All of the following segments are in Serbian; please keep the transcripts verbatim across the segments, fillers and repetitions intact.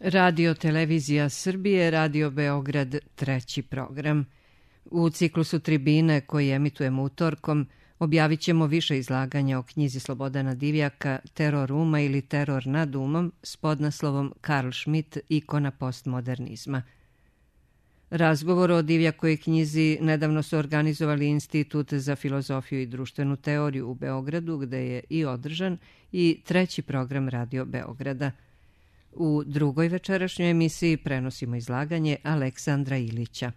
Radio Televizija Srbije, Radio Beograd, treći program. U ciklusu Tribine koji emitujemo utorkom objavit ćemo više izlaganja o knjizi Slobodana Divjaka Teror uma ili Teror nad umom s podnaslovom Karl Schmitt, ikona postmodernizma. Razgovor o Divjakovoj knjizi nedavno su organizovali Institut za filozofiju i društvenu teoriju u Beogradu, gde je i održan i treći program Radio Beograda. U drugoj večerašnjoj emisiji prenosimo izlaganje Aleksandra Ilića.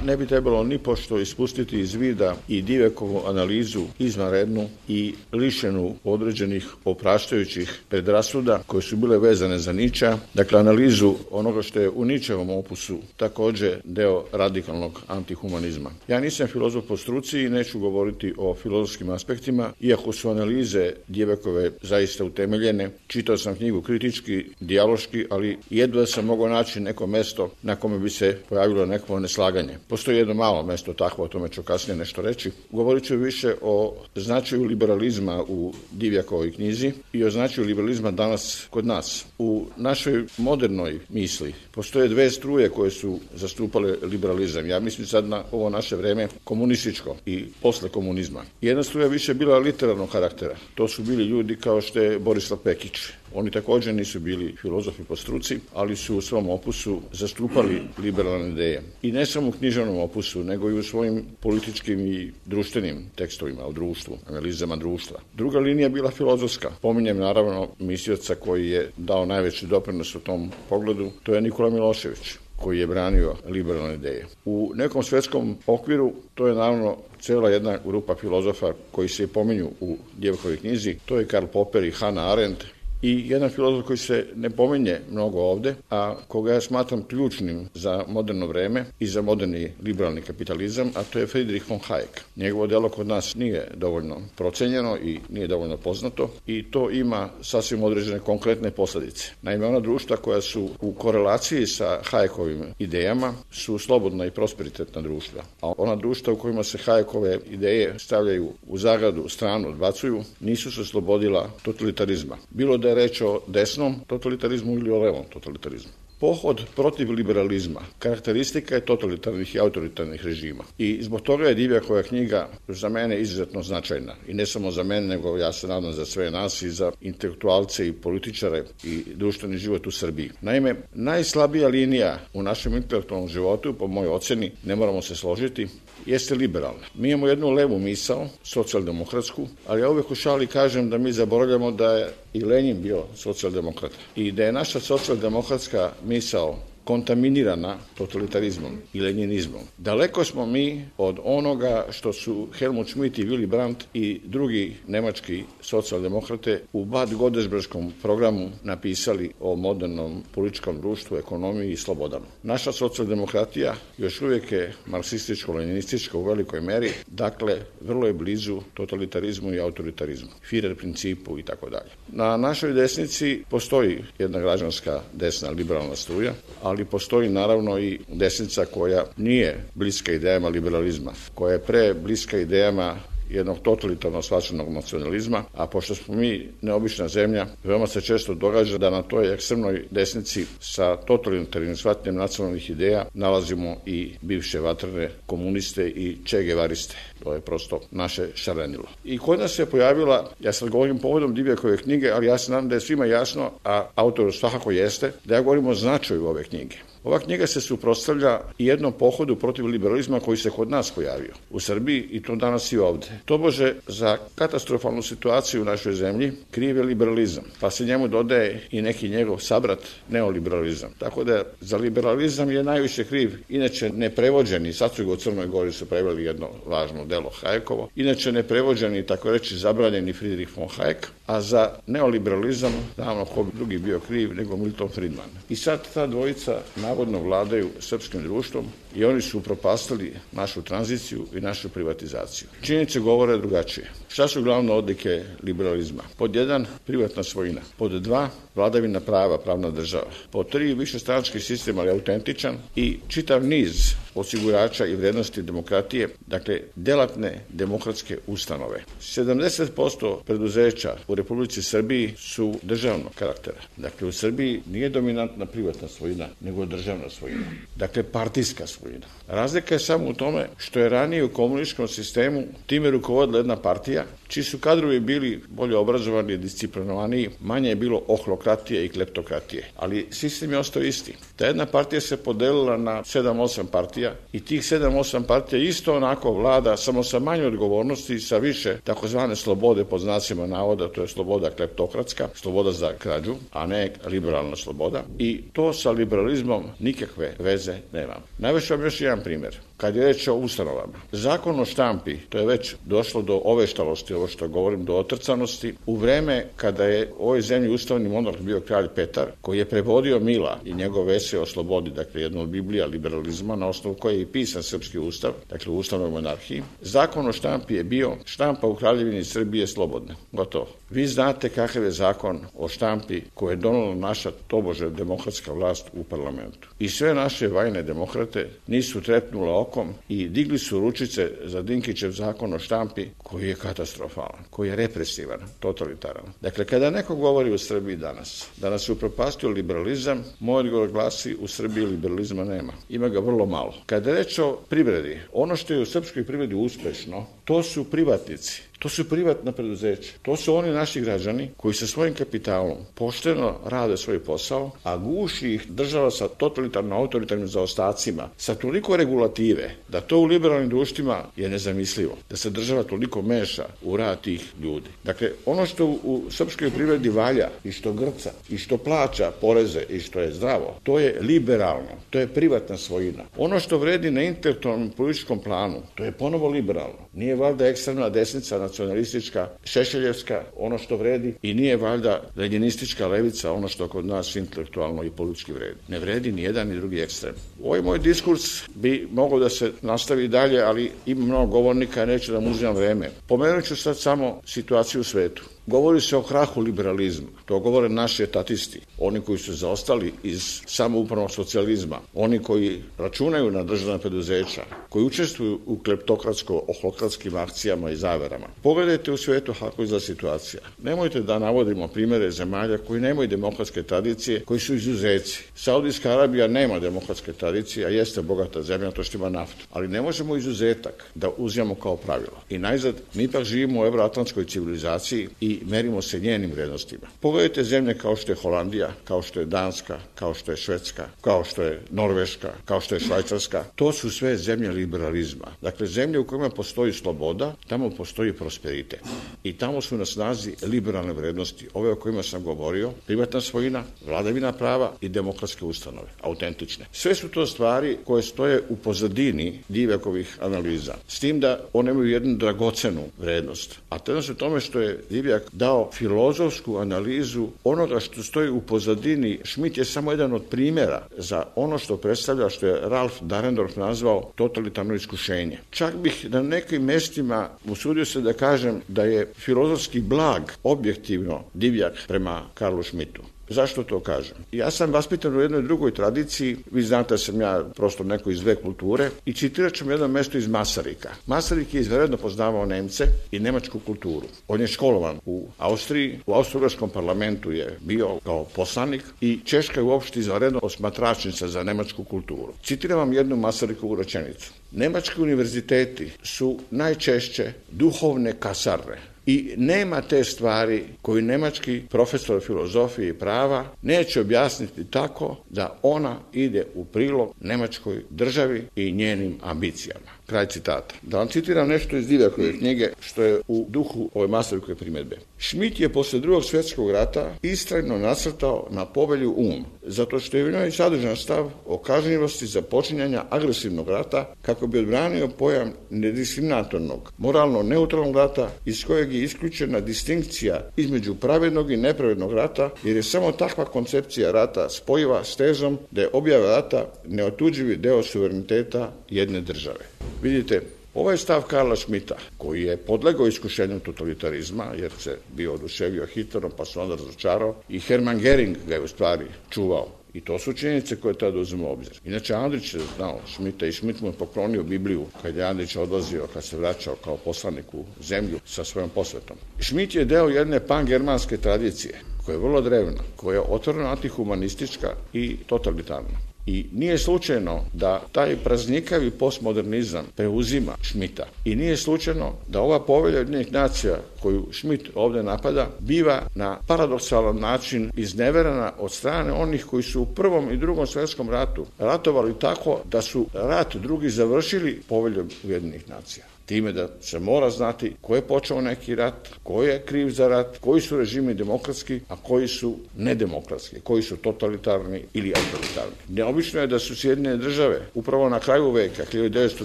Ne bi trebalo ni pošto ispustiti iz vida i Divjakovu analizu izvanrednu i lišenu određenih opraštajućih predrasuda koje su bile vezane za Niča, dakle analizu onoga što je u Ničevom opusu također deo radikalnog antihumanizma. Ja nisam filozof po struci i neću govoriti o filozofskim aspektima, iako su analize Divjakove zaista utemeljene. Čitao sam knjigu kritički, dijaloški, ali jedva sam mogao naći neko mesto na kome bi se pojavilo neko neslaganje. Postoji jedno malo mesto takvo, o tome ću kasnije nešto reći. Govorit ću više o značaju liberalizma u Divjakovoj knjizi i o značaju liberalizma danas kod nas. U našoj modernoj misli postoje dve struje koje su zastupale liberalizam. Ja mislim sad na ovo naše vreme komunističko i posle komunizma. Jedna struja više bila literarnog karaktera. To su bili ljudi kao što je Borislav Pekić. Oni također nisu bili filozofi po struci, ali su u svom opusu zastupali liberalne ideje. I ne samo u književnom opusu, nego i u svojim političkim i društvenim tekstovima o društvu, analizama društva. Druga linija bila filozofska. Pominjem naravno mislioca koji je dao najveći doprinos u tom pogledu, to je Nikola Milošević, koji je branio liberalne ideje. U nekom svetskom okviru to je naravno cijela jedna grupa filozofa koji se pominju u Divjakovoj knjizi, to je Karl Popper i Hannah Arendt, i jedan filozof koji se ne pominje mnogo ovde, a koga ja smatram ključnim za moderno vreme i za moderni liberalni kapitalizam, a to je Friedrich von Hayek. Njegovo delo kod nas nije dovoljno procenjeno i nije dovoljno poznato i to ima sasvim određene konkretne posljedice. Naime, ona društva koja su u korelaciji sa Hayekovim idejama su slobodna i prosperitetna društva, a ona društva u kojima se Hayekove ideje stavljaju u zagradu, stranu, odbacuju, nisu se oslobodila totalitarizma. Bilo da je reč o desnom totalitarizmu ili o levom totalitarizmu. Pohod protiv liberalizma karakteristika je totalitarnih i autoritarnih režima. I zbog toga je Divjakova knjiga za mene izuzetno značajna. I ne samo za mene, nego ja se nadam za sve nas i za intelektualce i političare i društveni život u Srbiji. Naime, najslabija linija u našem intelektualnom životu, po mojoj oceni, ne moramo se složiti, jeste liberalna. Mi imamo jednu levu misao, socijaldemokratsku, ali ja uvek u šali kažem da mi zaboravljamo da je i Lenin bio socijaldemokrata i da je naša socijaldemokratska misao kontaminirana totalitarizmom i lenjinizmom. Daleko smo mi od onoga što su Helmut Schmidt i Willy Brandt i drugi nemački socijaldemokrate u Bad Godesbergskom programu napisali o modernom političkom društvu, ekonomiji i slobodama. Naša socijaldemokratija još uvijek je marksističko-leninistička u velikoj meri, dakle vrlo je blizu totalitarizmu i autoritarizmu, Führer principu i tako dalje. Na našoj desnici postoji jedna građanska desna liberalna struja, ali ali postoji naravno i desnica koja nije bliska idejama liberalizma, koja je pre bliska idejama jednog totalitarno shvaćenog nacionalizma, a pošto smo mi neobična zemlja, veoma se često događa da na toj ekstremnoj desnici sa totalitarnim shvaćanjem nacionalnih ideja nalazimo i bivše vatrene komuniste i čegevariste. To je prosto naše šarenilo. I kod nas se pojavila, ja sad govorim povodom Divjakove knjige, ali ja se nadam da je svima jasno, a autoru svakako jeste, da ja govorim o značaju ove knjige. Ova knjiga se suprotstavlja jednom pohodu protiv liberalizma koji se kod nas pojavio u Srbiji i to danas i ovde. Tobože za katastrofalnu situaciju u našoj zemlji kriv je liberalizam, pa se njemu dodaje i neki njegov sabrat neoliberalizam. Tako da za liberalizam je najviše kriv, inače neprevođeni, sad su ga u Crnoj Gori su preveli jedno važno delo Hayekovo, inače neprevođeni, tako reći zabranjeni Friedrich von Hayek, a za neoliberalizam, naravno ko bi drugi bio kriv nego Milton Friedman. I sad ta dvojica navodno vladaju srpskim društvom i oni su upropastili našu tranziciju i našu privatizaciju. Činjenice govore drugačije. Šta su glavne odlike liberalizma? Pod jedan, privatna svojina. Pod dva, vladavina prava, pravna država. Pod tri, višestranački sistem, ali autentičan i čitav niz osigurača i vrednosti demokratije, dakle, delatne demokratske ustanove. sedamdeset posto preduzeća u Republici Srbiji su državnog karaktera. Dakle, u Srbiji nije dominantna privatna svojina, nego državna svojina. Dakle, partijska svojina. Razlika je samo u tome što je ranije u komunističkom sistemu time rukovodila jedna partija, čiji su kadrovi bili bolje obrazovani, disciplinovaniji, manje je bilo ohlokratije i kleptokratije. Ali sistem je ostao isti. Ta jedna partija se podelila na sedam osam partija i tih sedam osam partija isto onako vlada, samo sa manje odgovornosti i sa više takozvane slobode pod znacima navoda, to je sloboda kleptokratska, sloboda za krađu, a ne liberalna sloboda. I to sa liberalizmom nikakve veze nema. Navešću vam još jedan primjer. Kad je reč o ustanovama, zakon o štampi, to je već došlo do oveštalosti, ovo što govorim, do otrcanosti, u vreme kada je u ovoj zemlji ustavni monarh bio kralj Petar, koji je prevodio Mila i njegov esej o slobodi, dakle jedno od Biblija liberalizma, na osnovu koje je i pisan srpski ustav, dakle u ustavnoj monarhiji, zakon o štampi je bio štampa u Kraljevini Srbije slobodne. Gotovo. Vi znate kakav je zakon o štampi koje je donala naša tobože demokratska vlast u parlamentu. I sve naše vajne demokrate nisu trepnule okom i digli su ručice za Dinkićev zakon o štampi koji je katastrofalan, koji je represivan, totalitaran. Dakle, kada neko govori u Srbiji danas, da nas je upropastio liberalizam, moj odgovor glasi u Srbiji liberalizma nema. Ima ga vrlo malo. Kada je reč o privredi, ono što je u srpskoj privredi uspešno, to su privatnici. To su privatna preduzeća. To su oni naši građani koji sa svojim kapitalom pošteno rade svoj posao, a guši ih država sa totalitarno-autoritarnim zaostacima, sa toliko regulative, da to u liberalnim društvima je nezamislivo. Da se država toliko meša u rad tih ljudi. Dakle, ono što u srpskoj privredi valja i što grca i što plaća poreze i što je zdravo, to je liberalno. To je privatna svojina. Ono što vredi na intelektualnom političkom planu, to je ponovo liberalno. Nije valjda ekstremna desnica, nacionalistička, šešeljevska, ono što vredi, i nije valjda leninistička levica, ono što kod nas intelektualno i politički vredi. Ne vredi ni jedan ni drugi ekstrem. Ovaj moj diskurs bi mogao da se nastavi dalje, ali ima mnogo govornika, neću da mu uzimam vreme. Pomenut ću sad samo situaciju u svetu. Govori se o krahu liberalizma. To govore naši etatisti, oni koji su zaostali iz samoupravnog socijalizma, oni koji računaju na državna preduzeća, koji učestvuju u kleptokratsko-ohlokratskim akcijama i zaverama. Pogledajte u svetu kako izgleda situacija. Nemojte da navodimo primere zemalja koji nemaju demokratske tradicije, koji su izuzeci. Saudijska Arabija nema demokratske tradicije, a jeste bogata zemlja, to što ima naftu. Ali ne možemo izuzetak da uzimamo kao pravilo. I najzad, mi ipak živimo u evroatlantskoj civilizaciji i merimo se njenim vrednostima. Pogledajte zemlje kao što je Holandija, kao što je Danska, kao što je Švedska, kao što je Norveška, kao što je Švajcarska. To su sve zemlje liberalizma. Dakle, zemlje u kojima postoji sloboda, tamo postoji prosperitet. I tamo su na snazi liberalne vrednosti, ove o kojima sam govorio, privatna svojina, vladavina prava i demokratske ustanove, autentične. Sve su to stvari koje stoje u pozadini Divjakovih analiza. S tim da one imaju jednu dragocenu vrednost. A to je u tome što je Divjak dao filozofsku analizu onoga što stoji u pozadini. Schmitt je samo jedan od primjera za ono što predstavlja, što je Ralf Dahrendorf nazvao totalitarno iskušenje. Čak bih na nekim mestima usudio se da kažem da je filozofski blag objektivno Divjak prema Karlu Schmittu. Zašto to kažem? Ja sam vaspitan u jednoj drugoj tradiciji, vi znate da sam ja prosto neko iz dve kulture, i citirat ću jedno mesto iz Masarika. Masarik je izvanredno poznavao Nemce i nemačku kulturu. On je školovan u Austriji, u austrougarskom parlamentu je bio kao poslanik i Češka je uopšte izvanredno osmatračnica za nemačku kulturu. Citiram vam jednu Masarikovu rečenicu. Nemački univerziteti su najčešće duhovne kasarne. I nema te stvari koju nemački profesor filozofije i prava neće objasniti tako da ona ide u prilog nemačkoj državi i njenim ambicijama. Kraj citata. Da vam citiram nešto iz Divjakove knjige, što je u duhu ove Masarikove primjedbe. Schmitt je posle drugog svjetskog rata istrajno nasrtao na povelju um, zato što je u njoj sadržan stav o kažnjivosti za počinjanja agresivnog rata kako bi odbranio pojam nediskriminatornog, moralno neutralnog rata iz kojeg je isključena distinkcija između pravednog i nepravednog rata, jer je samo takva koncepcija rata spojiva s tezom da je objava rata neotuđivi deo suvereniteta jedne države. Vidite, Ovaj stav Karla Schmidta, koji je podlegao iskušenju totalitarizma, jer se bio oduševio Hitlerom, pa se onda razočarao, i Hermann Göring ga je u stvari čuvao. I to su činjenice koje tada uzmemo u obzir. Inače, Andrić je znao Schmidta i Schmidt mu je poklonio Bibliju kad je Andrić odlazio, kad se vraćao kao poslanik u zemlju sa svojom posvetom. Schmidt je deo jedne pangermanske tradicije, koja je vrlo drevna, koja je otvoreno antihumanistička i totalitarna. I nije slučajno da taj praznikavi postmodernizam preuzima Schmidta. I nije slučajno da ova povelja Ujedinjenih nacija koju Schmidt ovde napada biva na paradoksalan način izneverena od strane onih koji su u Prvom i Drugom svjetskom ratu ratovali tako da su rat drugi završili poveljom Ujedinjenih nacija. Time da se mora znati ko je počeo neki rat, ko je kriv za rat, koji su režimi demokratski, a koji su nedemokratski, koji su totalitarni ili autoritarni. Neobično je da su Sjedinjene države upravo na kraju veka, hiljadu devetsto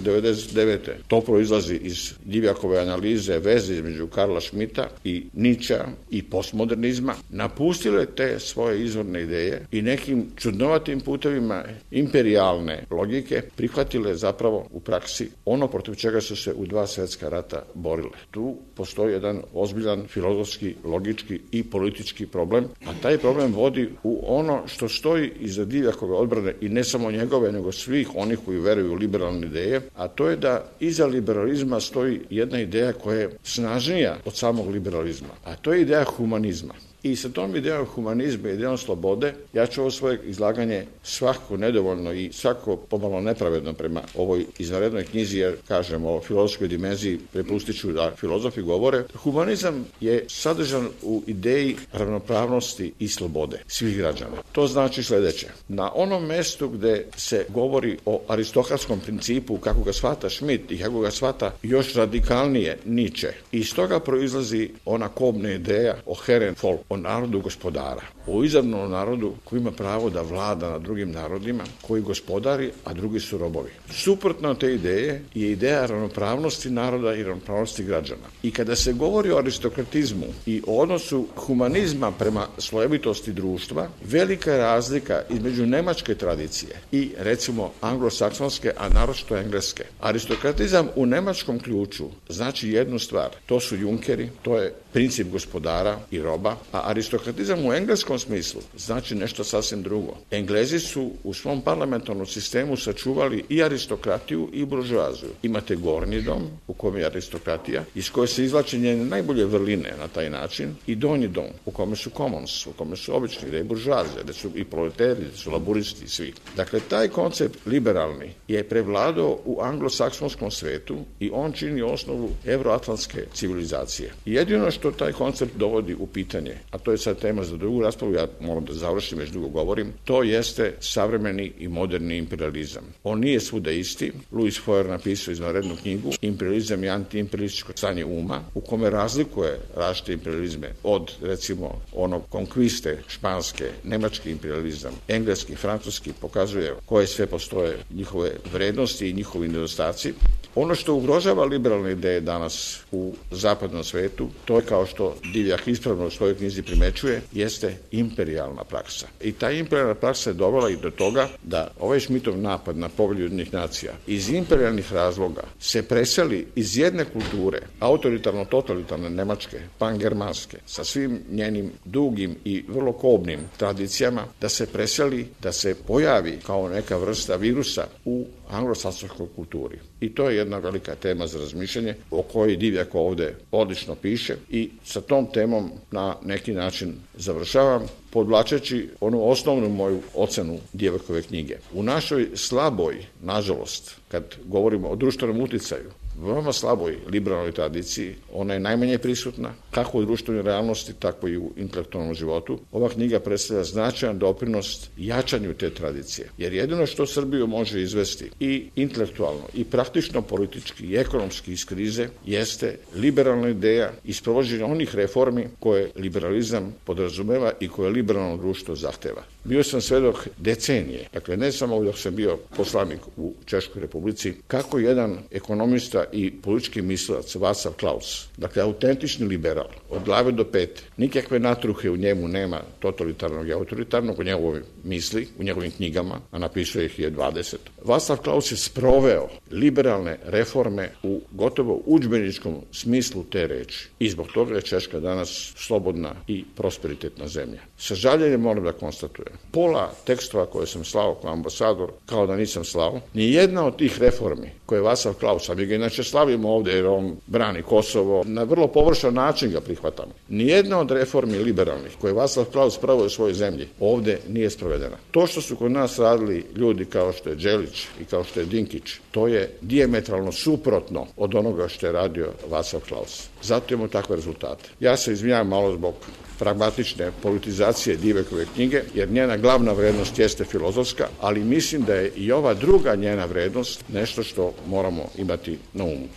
devedeset devete. To proizlazi iz Divjakove analize veze između Karla Schmidta i Nietzschea i postmodernizma, napustile te svoje izvorne ideje i nekim čudnovatim putevima imperijalne logike prihvatile zapravo u praksi ono protiv čega su se u dva svjetska rata borile. Tu postoji jedan ozbiljan filozofski, logički i politički problem, a taj problem vodi u ono što stoji iza Divjakove odbrane i ne samo njegove, nego svih onih koji veruju u liberalne ideje, a to je da iza liberalizma stoji jedna ideja koja je snažnija od samog liberalizma, a to je ideja humanizma. I sa tom idejom humanizma i idejom slobode, ja ću ovo svoje izlaganje svakako nedovoljno i svako pomalo nepravedno prema ovoj izvanrednoj knjizi, jer kažem o filozofskoj dimenziji prepustit ću da filozofi govore. Humanizam je sadržan u ideji ravnopravnosti i slobode svih građana. To znači sledeće. Na onom mestu gde se govori o aristokratskom principu, kako ga shvata Schmidt i kako ga shvata još radikalnije Nietzsche, iz toga proizlazi ona kobna ideja o Herrenvolk, o narodu gospodara, o izravnom narodu koji ima pravo da vlada nad drugim narodima, koji gospodari, a drugi su robovi. Suprotno te ideje je ideja ravnopravnosti naroda i ravnopravnosti građana. I kada se govori o aristokratizmu i o odnosu humanizma prema slojevitosti društva, velika je razlika između nemačke tradicije i recimo anglosaksonske, a naročito engleske. Aristokratizam u nemačkom ključu znači jednu stvar, to su junkeri, to je princip gospodara i roba, a aristokratizam u engleskom smislu znači nešto sasvim drugo. Englezi su u svom parlamentarnom sistemu sačuvali i aristokratiju i buržoaziju. Imate gornji dom, u kojem je aristokratija, iz koje se izvlače njene najbolje vrline na taj način, i donji dom, u kome su commons, u kome su obični, gde je buržoazija, gde su i proleteri, gde su laburisti i svi. Dakle, taj koncept liberalni je prevladao u anglosaksonskom svetu i on čini osnovu evroatlantske civilizacije. Jedino što taj koncept dovodi u pitanje, a to je sad tema za drugu raspravu, ja moram da završim, već dugo govorim, to jeste savremeni i moderni imperializam. On nije svuda isti. Louis Foer napisao izvanrednu knjigu Imperializam i antiimperialističko stanje uma, u kome razlikuje različite imperializme od, recimo, onog konkviste španske, nemački imperializam, engleski, francuski, pokazuje koje sve postoje njihove vrednosti i njihovi nedostaci. Ono što ugrožava liberalne ideje danas u zapadnom svetu, to je, kao što Divjak ispravno u svojoj knjizi primećuje, jeste imperijalna praksa. I ta imperijalna praksa je dovela i do toga da ovaj Schmittov napad na povelju Ujedinjenih nacija iz imperijalnih razloga se preseli iz jedne kulture, autoritarno-totalitarne nemačke, pangermanske, sa svim njenim dugim i vrlo kobnim tradicijama, da se preseli, da se pojavi kao neka vrsta virusa u anglosaksonskoj kulturi. I to je jedna velika tema za razmišljanje, o kojoj Divjak ovde odlično piše, i sa tom temom na neki način završavam, podvlačeći onu osnovnu moju ocenu Divjakove knjige. U našoj slaboj, nažalost, kad govorimo o društvenom uticaju, veoma slaboj liberalnoj tradiciji, ona je najmanje prisutna, kako u društvenoj realnosti, tako i u intelektualnom životu. Ova knjiga predstavlja značajan doprinos jačanju te tradicije, jer jedino što Srbiju može izvesti i intelektualno, i praktično politički, i ekonomski iz krize, jeste liberalna ideja i sprovođenje onih reformi koje liberalizam podrazumeva i koje liberalno društvo zahteva. Bio sam svedok decenije, dakle ne samo dok sam bio poslanik u Češkoj Republici, kako jedan ekonomista Divjaka i politički mislilac Václav Klaus. Dakle, autentični liberal, od glave do pete. Nikakve natruhe u njemu nema totalitarnog i autoritarnog, u njegovoj misli, u njegovim knjigama, a napisao ih je dvadeset. Václav Klaus je sproveo liberalne reforme u gotovo udžbeničkom smislu te reči. I zbog toga je Češka danas slobodna i prosperitetna zemlja. Sa žaljenjem moram da konstatujem. Pola tekstova koje sam slao kao ambasador, kao da nisam slao, ni jedna od tih reformi koje je Václav Klaus, a mi ga inače slavimo ovde jer on brani Kosovo, na vrlo površan način ga prihvatamo. Nijedna od reformi liberalnih koje je Václav Klaus pravio u svojoj zemlji ovde nije sprovedena. To što su kod nas radili ljudi kao što je Đelić i kao što je Dinkić, to je dijametralno suprotno od onoga što je radio Václav Klaus. Zato imamo takve rezultate. Ja se izvinjavam malo zbog pragmatične politizacije Divjakove knjige, jer njena glavna vrednost jeste filozofska, ali mislim da je i ova druga njena vrednost nešto što moramo imati na umu.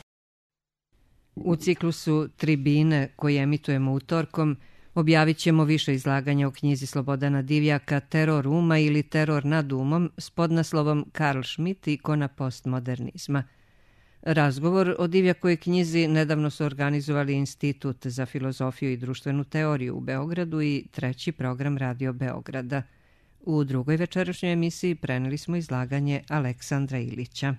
U ciklusu Tribine koji emitujemo utorkom objavit ćemo više izlaganja o knjizi Slobodana Divjaka Teror uma ili Teror nad umom s podnaslovom Karl Schmitt, ikona postmodernizma. Razgovor o Divjakovoj knjizi nedavno su organizovali Institut za filozofiju i društvenu teoriju u Beogradu i treći program Radio Beograda. U drugoj večerašnjoj emisiji preneli smo izlaganje Aleksandra Ilića.